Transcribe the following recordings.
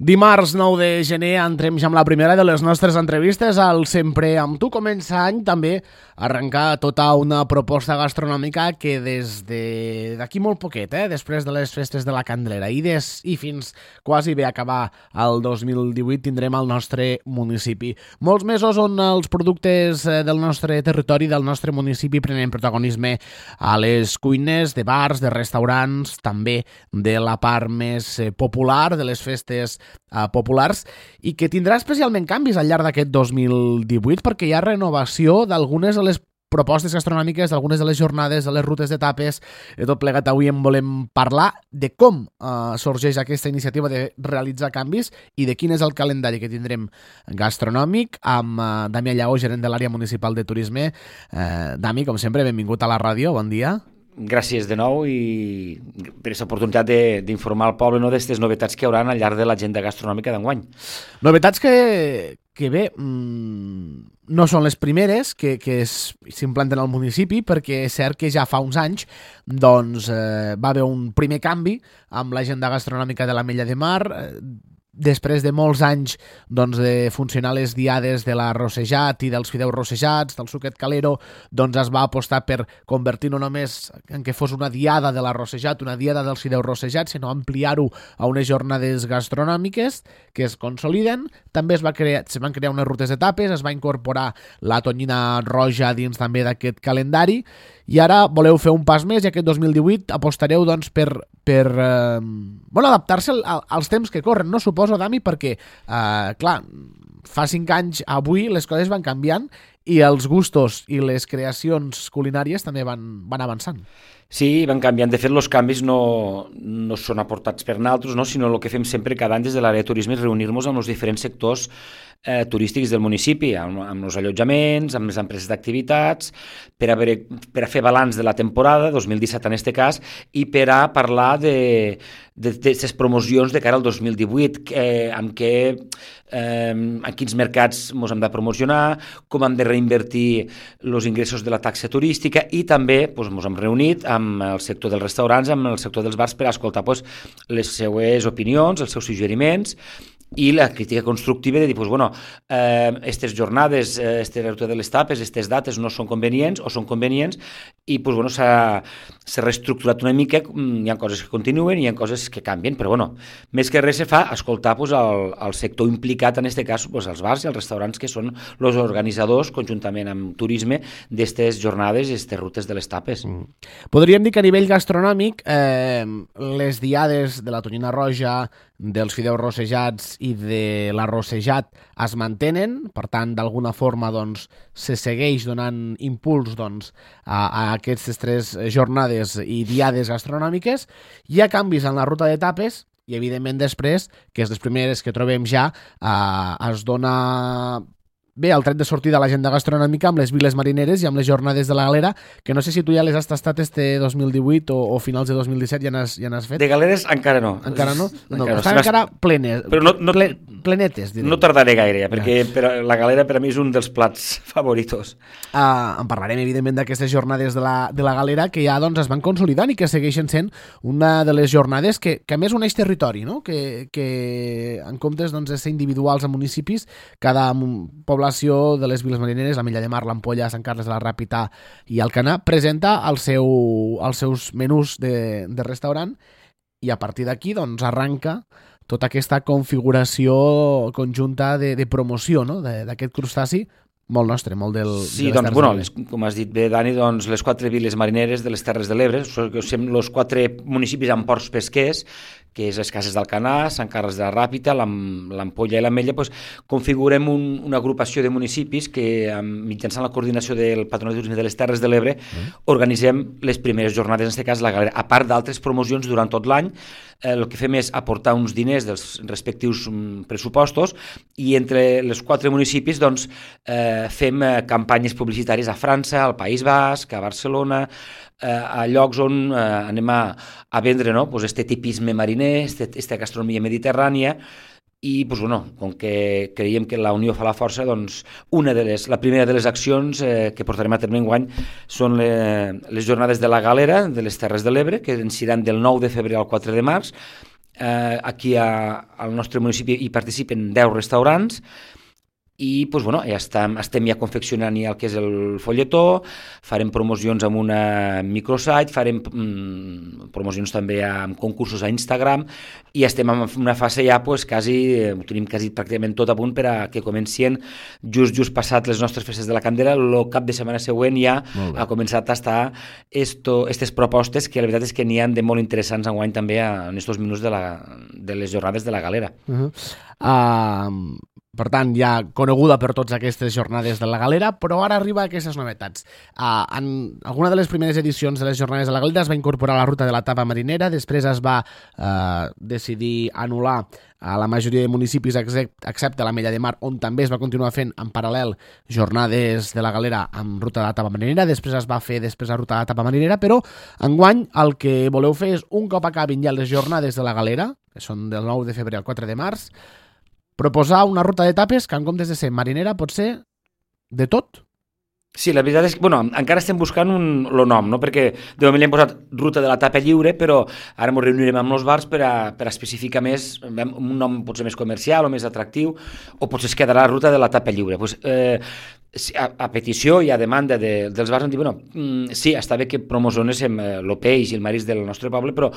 Dimarts 9 de gener entrem ja amb la primera de les nostres entrevistes al Sempre amb tu. Comença any també arrencar tota una proposta gastronòmica que des d'aquí molt poquet, després de les festes de la Candelera i fins quasi bé acabar el 2018 tindrem al nostre municipi. Molts mesos on els productes del nostre territori, del nostre municipi, prenen protagonisme a les cuines de bars, de restaurants, també de la part més popular, de les festes populars, i que tindrà especialment canvis al llarg d'aquest 2018 perquè hi ha renovació d'algunes de les propostes gastronòmiques, d'algunes de les jornades, de les rutes d'etapes. De tot plegat avui en volem parlar de com sorgeix aquesta iniciativa de realitzar canvis i de quin és el calendari que tindrem gastronòmic amb Damià Lleó, gerent de l'àrea municipal de turisme. Dami, com sempre, benvingut a la ràdio, bon dia. Gràcies de nou i per aquesta oportunitat d'informar el poble d'aquestes novetats que hi haurà al llarg de l'agenda gastronòmica d'enguany. Novetats que bé, no són les primeres que s'implanten al municipi, perquè és cert que ja fa uns anys doncs, va haver un primer canvi amb l'agenda gastronòmica de l'Ametlla de Mar. Després de molts anys doncs, de funcionar les diades de l'arrossejat i dels fideus rossejats, del suquet calero, doncs es va apostar per convertir no només en que fos una diada de l'arrossejat, una diada dels fideus rossejats, sinó ampliar-ho a unes jornades gastronòmiques que es consoliden. També se van crear unes rutes d'etapes, es va incorporar la tonyina roja dins també d'aquest calendari, i ara voleu fer un pas més i aquest 2018 apostareu doncs, per adaptar-se als temps que corren, no suposo, Dami, perquè, clar, fa 5 anys avui les coses van canviant i els gustos i les creacions culinàries també van avançant. Sí, van canviant. De fet, els canvis no són aportats per nosaltres, no? Sinó el que fem sempre cada any des de l'àrea de turisme és reunir-nos amb els diferents sectors turístics del municipi, amb els allotjaments, amb les empreses d'activitats, per a fer balanç de la temporada, 2017 en aquest cas, i per a parlar d'aquestes promocions de cara al 2018, en quins mercats ens hem de promocionar, com hem de reinvertir els ingressos de la taxa turística, i també ens hem reunit amb el sector dels restaurants, amb el sector dels bars, per a escoltar les seues opinions, els seus suggeriments, i la crítica constructiva de dir, aquestes jornades, aquesta ruta de les tapes, aquestes dates no són convenients o són convenients, i s'ha reestructurat una mica. Hi ha coses que continuen i hi ha coses que canvien, però més que res se fa escoltar el sector implicat, en aquest cas els bars i els restaurants, que són els organitzadors, conjuntament amb turisme, d'aquestes jornades i aquestes rutes de les tapes. Podríem dir que a nivell gastronòmic les diades de la tonyina roja, dels fideus rossejats i de l'arrossejat es mantenen, per tant, d'alguna forma se segueix donant impuls a aquestes 3 jornades i diades gastronòmiques. Hi ha canvis en la ruta d'etapes i, evidentment, després, que és les primeres que trobem ja, es dona bé el tret de sortir de l'agenda gastronòmica amb les viles marineres i amb les jornades de la galera, que no sé si tu ja les has tastat este 2018 o finals de 2017 ja n'has fet. De galeres encara no. Encara no? Estan encara plenes. Però plenetes, diré. No tardaré gaire, perquè la galera per a mi és un dels plats favoritos. En parlarem, evidentment, d'aquestes jornades de la galera que ja es van consolidant i que segueixen sent una de les jornades que a més uneix territori, no? Que en comptes de ser individuals a municipis, cada població de les viles marineres, l'Ametlla de Mar, l'Ampolla, Sant Carles de la Ràpita i Alcanar, presenta els seus menús de restaurant, i a partir d'aquí arranca tota aquesta configuració conjunta de promoció, no? D'aquest crustaci molt nostre, molt del... Sí, com has dit bé, Dani, les 4 viles marineres de les Terres de l'Ebre, som els 4 municipis amb ports pesquers, que és les Cases d'Alcanar, Sant Carles de la Ràpita, l'Ampolla i l'Ametlla, configurem una agrupació de municipis que, mitjançant la coordinació del Patronat de Turisme de les Terres de l'Ebre, organitzem les primeres jornades, en aquest cas la galera. A part d'altres promocions durant tot l'any, el que fem és aportar uns diners dels respectius pressupostos, i entre els 4 municipis fem campanyes publicitàries a França, al País Basc, a Barcelona, a llocs on anem a vendre este tipisme mariner, aquesta gastronomia mediterrània, i com que creiem que la unió fa la força, la primera de les accions que portarem a terme enguany són les jornades de la galera de les Terres de l'Ebre, que seran del 9 de febrer al 4 de març, aquí al nostre municipi hi participen 10 restaurants, i doncs, bueno, ja estem ja confeccionant ja el que és el folletó, farem promocions amb una microsite, farem promocions també amb concursos a Instagram, i estem en una fase ja, pues, ho tenim quasi pràcticament tot a punt per a que comencin just passat les nostres festes de la Candela, el cap de setmana següent ja ha començat a estar aquestes propostes, que la veritat és que n'hi ha de molt interessants enguany també en aquests minuts de les jornades de la Galera. Per tant, ja coneguda per tots aquestes jornades de la Galera, però ara arriba aquestes novetats. En alguna de les primeres edicions de les jornades de la Galera es va incorporar la ruta de la tapa marinera, després es va decidir anul·lar a la majoria de municipis excepte l'Ametlla de Mar, on també es va continuar fent en paral·lel jornades de la Galera amb ruta de la tapa marinera, després es va fer la ruta de la tapa marinera, però enguany el que voleu fer és, un cop acabin ja les jornades de la Galera, que són del 9 de febrer al 4 de març, proposar una ruta de tapes que en comptes de ser marinera pot ser de tot. Sí, la veritat és que, encara estem buscant el nom, no? Perquè de moment li hem posat ruta de la tapa lliure, però ara ens reunirem amb els bars per a especificar més, un nom potser més comercial o més atractiu, o potser es quedarà la ruta de la tapa lliure. Pues, a petició i a demanda dels bars, hem dit, sí, està bé que promocionéssim el peix i el marisc del nostre poble, però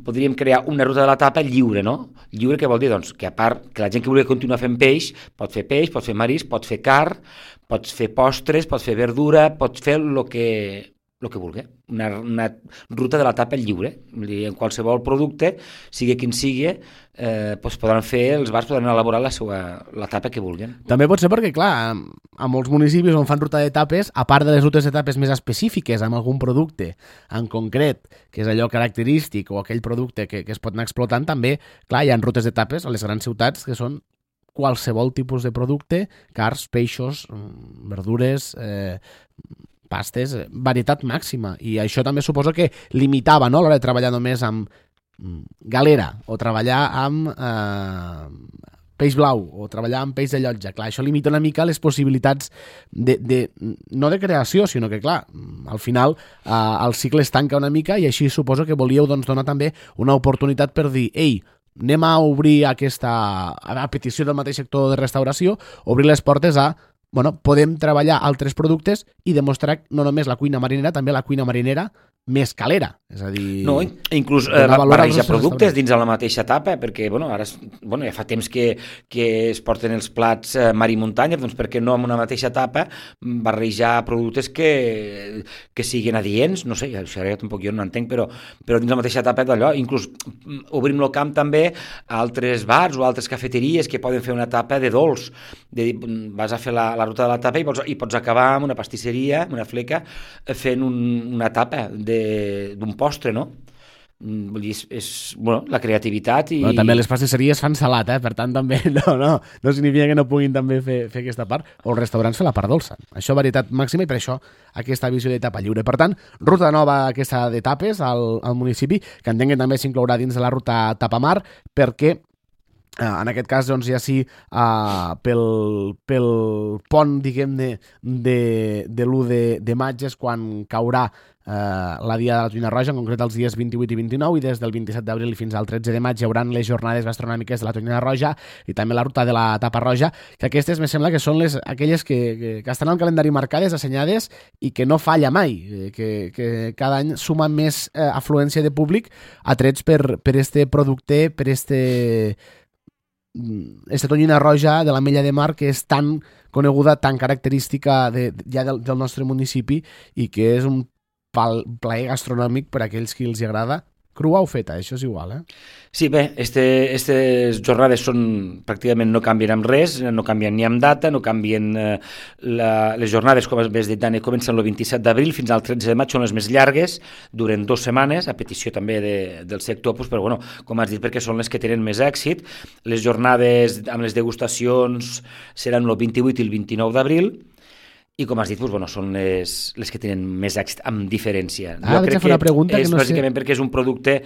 podríem crear una ruta de la tapa lliure, no? Lliure, què vol dir? Doncs que a part que la gent que vulgui continuar fent peix, pot fer marisc, pot fer carn, pots fer postres, pots fer verdura, pots fer el que vulgui. Una ruta de la tapa lliure. En qualsevol producte, sigui quin sigui, els bars podran elaborar la tapa que vulguin. També pot ser perquè, clar, a molts municipis on fan ruta de tapes, a part de les rutes de tapes més específiques amb algun producte en concret, que és allò característic o aquell producte que es pot anar explotant, també, clar, hi ha rutes de tapes a les grans ciutats que són qualsevol tipus de producte, carns, peixos, verdures, pastes, varietat màxima. I això també suposo que limitava, no?, a l'hora de treballar només amb galera o treballar amb peix blau o treballar amb peix de llotja. Clar, això limita una mica les possibilitats no de creació, sinó que, clar, al final el cicle es tanca una mica, i així suposo que volíeu donar també una oportunitat per dir, ei, anem a obrir a petició del mateix sector de restauració, obrir les portes a, podem treballar altres productes i demostrar no només la cuina marinera, també la cuina marinera més calera, és a dir... No, inclús barrejar productes dins de la mateixa tapa, perquè ara ja fa temps que es porten els plats mar i muntanya, doncs per què no amb una mateixa tapa barrejar productes que siguin adients, no sé, això ara tampoc jo no entenc, però dins la mateixa tapa d'allò, inclús obrim el camp també a altres bars o altres cafeteries que poden fer una tapa de dolç, vas a fer la ruta de la tapa i pots acabar amb una pastisseria, amb una fleca, fent una tapa d'un postre, no? Vull dir, és la creativitat i... També les pastisseries fan salat, per tant també no significa que no puguin també fer aquesta part, o els restaurants fer la part dolça. Això varietat màxima, i per això aquesta visió d'etapa lliure. Per tant, ruta nova aquesta d'etapes al municipi, que entenc que també s'inclourà dins de la ruta Tapamar, perquè en aquest cas, doncs, ja sí, pel pont, diguem-ne, de l'1 de maig és quan caurà la Dia de la Tonyina Roja, en concret els dies 28 i 29, i des del 27 d'abril fins al 13 de maig hi haurà les jornades gastronòmiques de la Tonyina Roja i també la ruta de la Tapa Roja, que aquestes me sembla que són aquelles que estan al calendari marcades, assenyades, i que no falla mai, que cada any sumen més afluència de públic atrets per este producte, per Tonyina Roja de l'Ametlla de Mar, que és tan coneguda, tan característica ja del nostre municipi, i que és un plaer gastronòmic per a aquells que els agrada, crua o feta, això és igual, Sí, bé, aquestes jornades pràcticament no canvien amb res, no canvien ni amb data, no canvien les jornades, com has dit, Dani, comencen el 27 d'abril fins al 13 de maig, són les més llargues, duren 2 setmanes, a petició també del sector, però com has dit, perquè són les que tenen més èxit. Les jornades amb les degustacions seran el 28 i el 29 d'abril, i com has dit, són les que tenen més èxit, amb diferència. Jo crec que és bàsicament perquè és un producte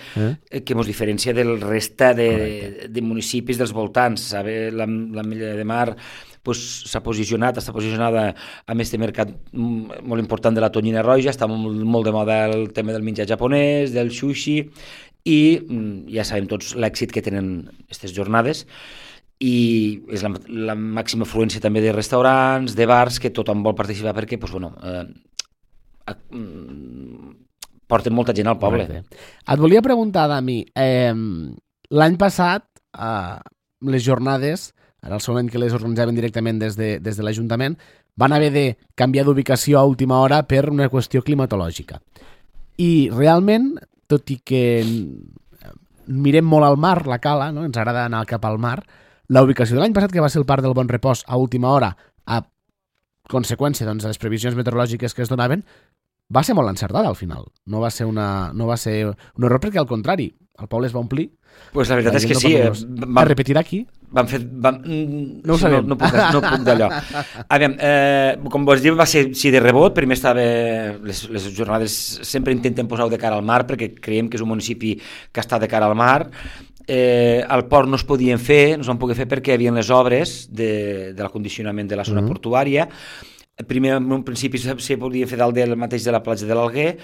que ens diferencia del resta de municipis dels voltants. L'Ametlla de Mar està posicionada amb aquest mercat molt important de la tonyina roja, està molt de moda el tema del menjar japonès, del sushi, i ja sabem tots l'èxit que tenen aquestes jornades, i és la màxima afluència també de restaurants, de bars, que tothom vol participar perquè porten molta gent al poble. Et volia preguntar, Dami, l'any passat les jornades, era el segon any que les organitzaven directament des de l'Ajuntament, van haver de canviar d'ubicació a última hora per una qüestió climatològica. I realment, tot i que mirem molt al mar, la Cala, no? Ens agrada anar cap al mar, la ubicació de l'any passat, que va ser el Parc del Bon Repòs a última hora, a conseqüència de les previsions meteorològiques que es donaven, va ser molt encertada al final. No va ser un error, perquè al contrari, el poble es va omplir. Pues la veritat és que sí. Es repetirà aquí? No ho sabem. No puc d'allò. Com vos diu, va ser de rebot. Primer les jornades sempre intenten posar-ho de cara al mar, perquè creiem que és un municipi que està de cara al mar. Al port no es podien fer, no es van poder fer perquè hi havia les obres de l'acondicionament de la zona portuària. Primer, en un principi, se podia fer dalt del mateix de la platja de l'Alguer,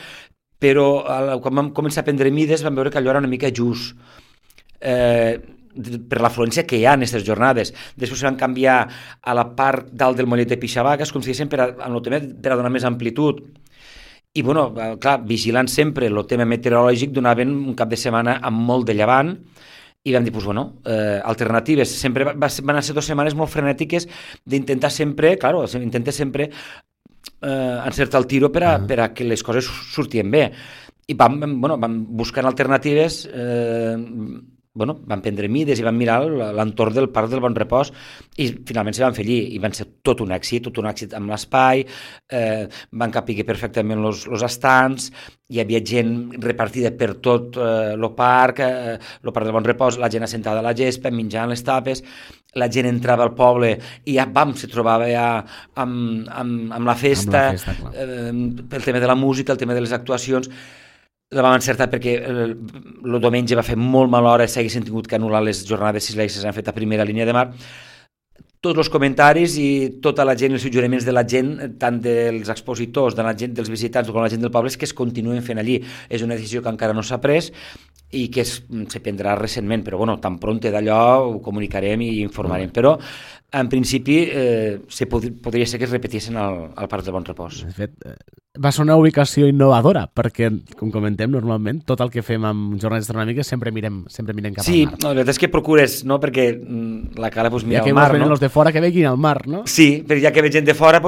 però quan vam començar a prendre mides vam veure que allò era una mica just per l'afluència que hi ha en aquestes jornades. Després van canviar a la part dalt del mollet de Pixavaques, com si diguéssim, per a donar més amplitud. I, clar, vigilant sempre el tema meteorològic, donaven un cap de setmana amb molt de llevant, i vam dir, alternatives. Sempre van ser 2 setmanes molt frenètiques d'intentar sempre, intenta sempre encertar el tiro per a que les coses sortien bé. I vam buscar alternatives, vam prendre mides i vam mirar l'entorn del Parc del Bon Repòs i finalment se van fer allí i van ser tot un èxit amb l'espai, van capir perfectament els estants, hi havia gent repartida per tot el parc del Bon Repòs, la gent assentada a la gespa, menjant les tapes, la gent entrava al poble i ja se trobava ja amb la festa, pel tema de la música, el tema de les actuacions. La vam encertar perquè el diumenge va fer molt mala hora, s'haguessin tingut que anul·lar les jornades si les han fet a primera línia de mar. Tots els comentaris i tota la gent, els suggeriments de la gent, tant dels expositors, de la gent, dels visitants com la gent del poble, és que es continuen fent allí. És una decisió que encara no s'ha pres i que se prendrà recentment, però tan pronte d'allò ho comunicarem i informarem. Però, en principi, podria ser que es repetissin al Parc del Bon Repòs. De fet, va ser una ubicació innovadora, perquè, com comentem, normalment, tot el que fem amb jornades astronòmiques sempre mirem cap al mar. Sí, la veritat és que procures, no?, perquè la Cala mira al mar, no? Ja que venen els de fora que veguin al mar, no? Sí, però ja que ve gent de fora,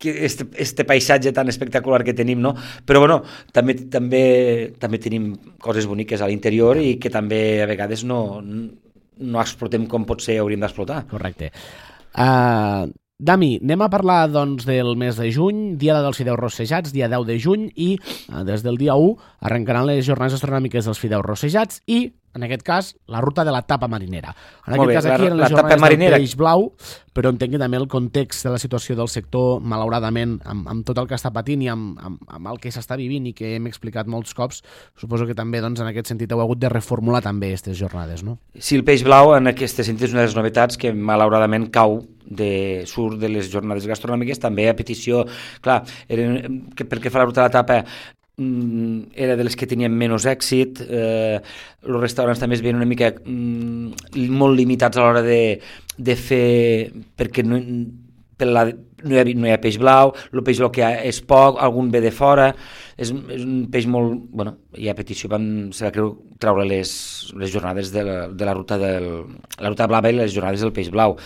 que este paisatge tan espectacular que tenim, no? Però, també tenim coses boniques a l'interior i que també a vegades no explotem com potser hauríem d'explotar. Correcte. Dami, anem a parlar del mes de juny, dia dels fideus rossejats, dia 10 de juny, i des del dia 1 arrencaran les jornades astronòmiques dels fideus rossejats i, en aquest cas, la ruta de la tapa marinera. En aquest cas aquí eren les jornades del peix blau, però entenc que també el context de la situació del sector, malauradament, amb tot el que està patint i amb el que s'està vivint i que hem explicat molts cops, suposo que també, en aquest sentit, heu hagut de reformular també aquestes jornades, no? Sí, el peix blau, en aquest sentit, és una de les novetats que, malauradament, surt de les jornades gastronòmiques, també a petició, clar, perquè fa la ruta de la tapa era de les que tenien menys èxit, els restaurants també es veien una mica molt limitats a l'hora de fer, perquè no hi ha peix blau, el peix blau que hi ha és poc, algun ve de fora, és un peix molt... i a petició se va treure les jornades de la ruta blava i les jornades del peix blau.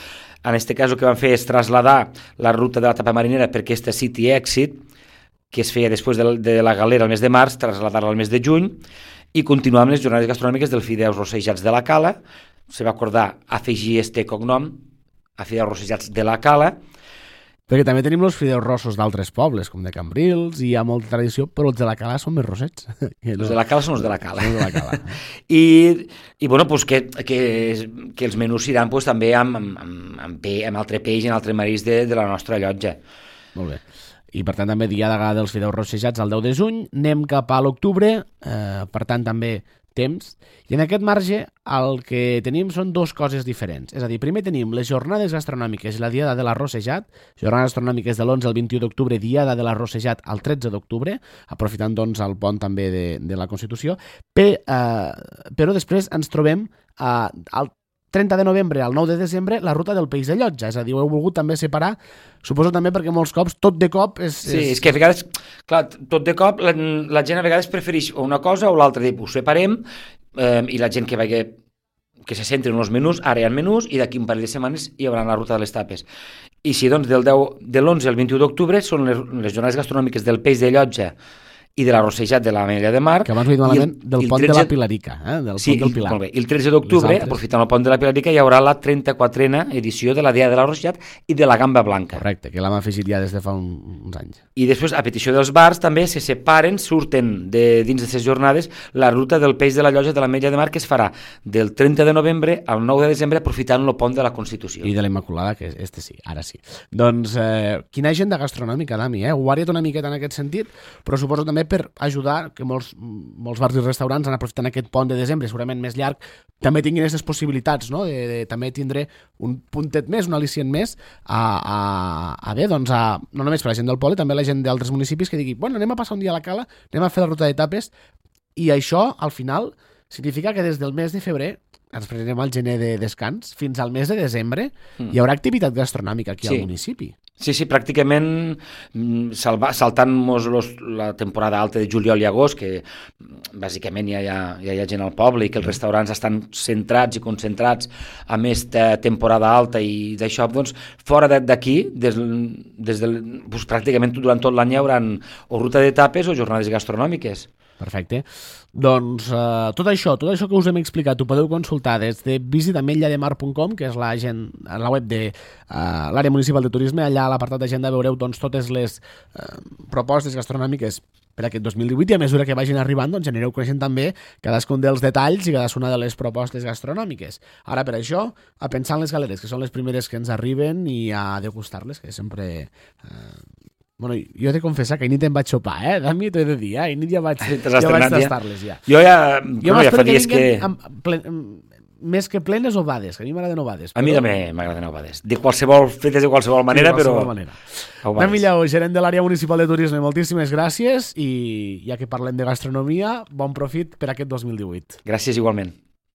En aquest cas el que van fer és traslladar la ruta de la tapa marinera per aquesta City Exit, que es feia després de la galera el mes de març, traslladar-la al mes de juny i continuar amb les jornades gastronòmiques dels fideus rossejats de la Cala. Se va acordar afegir este cognom, a fideus rossejats de la Cala. Perquè també tenim els fideus rossos d'altres pobles, com de Cambrils, i hi ha molta tradició, però els de la Cala són més rossets. Els de la Cala són els de la Cala. I que els menús iran també amb altre peix i amb altre marís de la nostra llotja. Molt bé. I per tant també dia dels fideus rossejats el 10 de juny, anem cap a l'octubre, per tant també temps, i en aquest marge el que tenim són dues coses diferents. És a dir, primer tenim les jornades gastronòmiques i la Diada de l'Arrossejat, jornades gastronòmiques de l'11 al 21 d'octubre, Diada de l'Arrossejat al 13 d'octubre, aprofitant doncs el pont també de la Constitució, però després ens trobem al 30 de novembre al 9 de desembre la ruta del peix de Llotja, és a dir, ho heu volgut també separar, suposo també perquè molts cops, tot de cop Sí, és que a vegades, clar, tot de cop la gent a vegades prefereix una cosa o l'altra, ho separem, i la gent que vagi que se centri en els menús, ara hi ha menús i d'aquí un parell de setmanes hi haurà la ruta de les tapes. I si doncs de l'11 al 21 d'octubre són les jornades gastronòmiques del peix de Llotja i de l'Arrossejat de l'Ametlla de Mar. Que abans ho he dit malament, del pont de la Pilarica, del pont del Pilar. Molt bé. I el 13 d'octubre, aprofitant el pont de la Pilarica, hi haurà la 34a edició de la Diada de l'Arrossejat i de la Gamba Blanca. Correcte, que l'hem afegit ja des de fa uns anys. I després, a petició dels bars, també se separen, surten dins de ces jornades la ruta del peix de la Llotja de l'Ametlla de Mar, que es farà del 30 de novembre al 9 de desembre, aprofitant el pont de la Constitució. I de la Immaculada, que sí, ara sí. Doncs, quina agenda gastronòmica, Dami, Ho ha variat una miqueta en aquest sentit, però suposo també per ajudar que molts bars i restaurants han aprofitant aquest pont de desembre, segurament més llarg, també tinguin aquestes possibilitats, no? de també tindre un puntet més, un al·licient més, no només per la gent del poble, també la gent d'altres municipis que digui, bueno, anem a passar un dia a la Cala, anem a fer la ruta d'etapes, i això, al final, significa que des del mes de febrer ens prenem al gener de descans, fins al mes de desembre, hi haurà activitat gastronòmica aquí al municipi. Sí, pràcticament saltant-nos la temporada alta de juliol i agost, que bàsicament ja hi ha gent al poble i que els restaurants estan centrats i concentrats a més de temporada alta i d'això, doncs, fora d'aquí, pràcticament durant tot l'any hi haurà o ruta d'etapes o jornades gastronòmiques. Perfecte. Doncs tot això que us hem explicat ho podeu consultar des de visitametllademar.com, que és la web de l'àrea municipal de turisme. Allà a l'apartat d'agenda veureu doncs, totes les propostes gastronòmiques per aquest 2018 i a mesura que vagin arribant doncs, anireu coneixent també cadascun dels detalls i cadascuna de les propostes gastronòmiques. Ara per això, a pensar en les galeres, que són les primeres que ens arriben i a degustar-les, que sempre... Bueno, jo he de confessar que ahir nit em vaig sopar, Dami, t'ho he de dir, ahir nit ja vaig tastar-les, ja. Jo ja fa dies que... Més que plenes ovades, que a mi m'agraden ovades. A mi també m'agraden ovades. Fetes de qualsevol manera, però... Dami Lleó, gerent de l'àrea municipal de turisme, moltíssimes gràcies i ja que parlem de gastronomia, bon profit per aquest 2018. Gràcies igualment.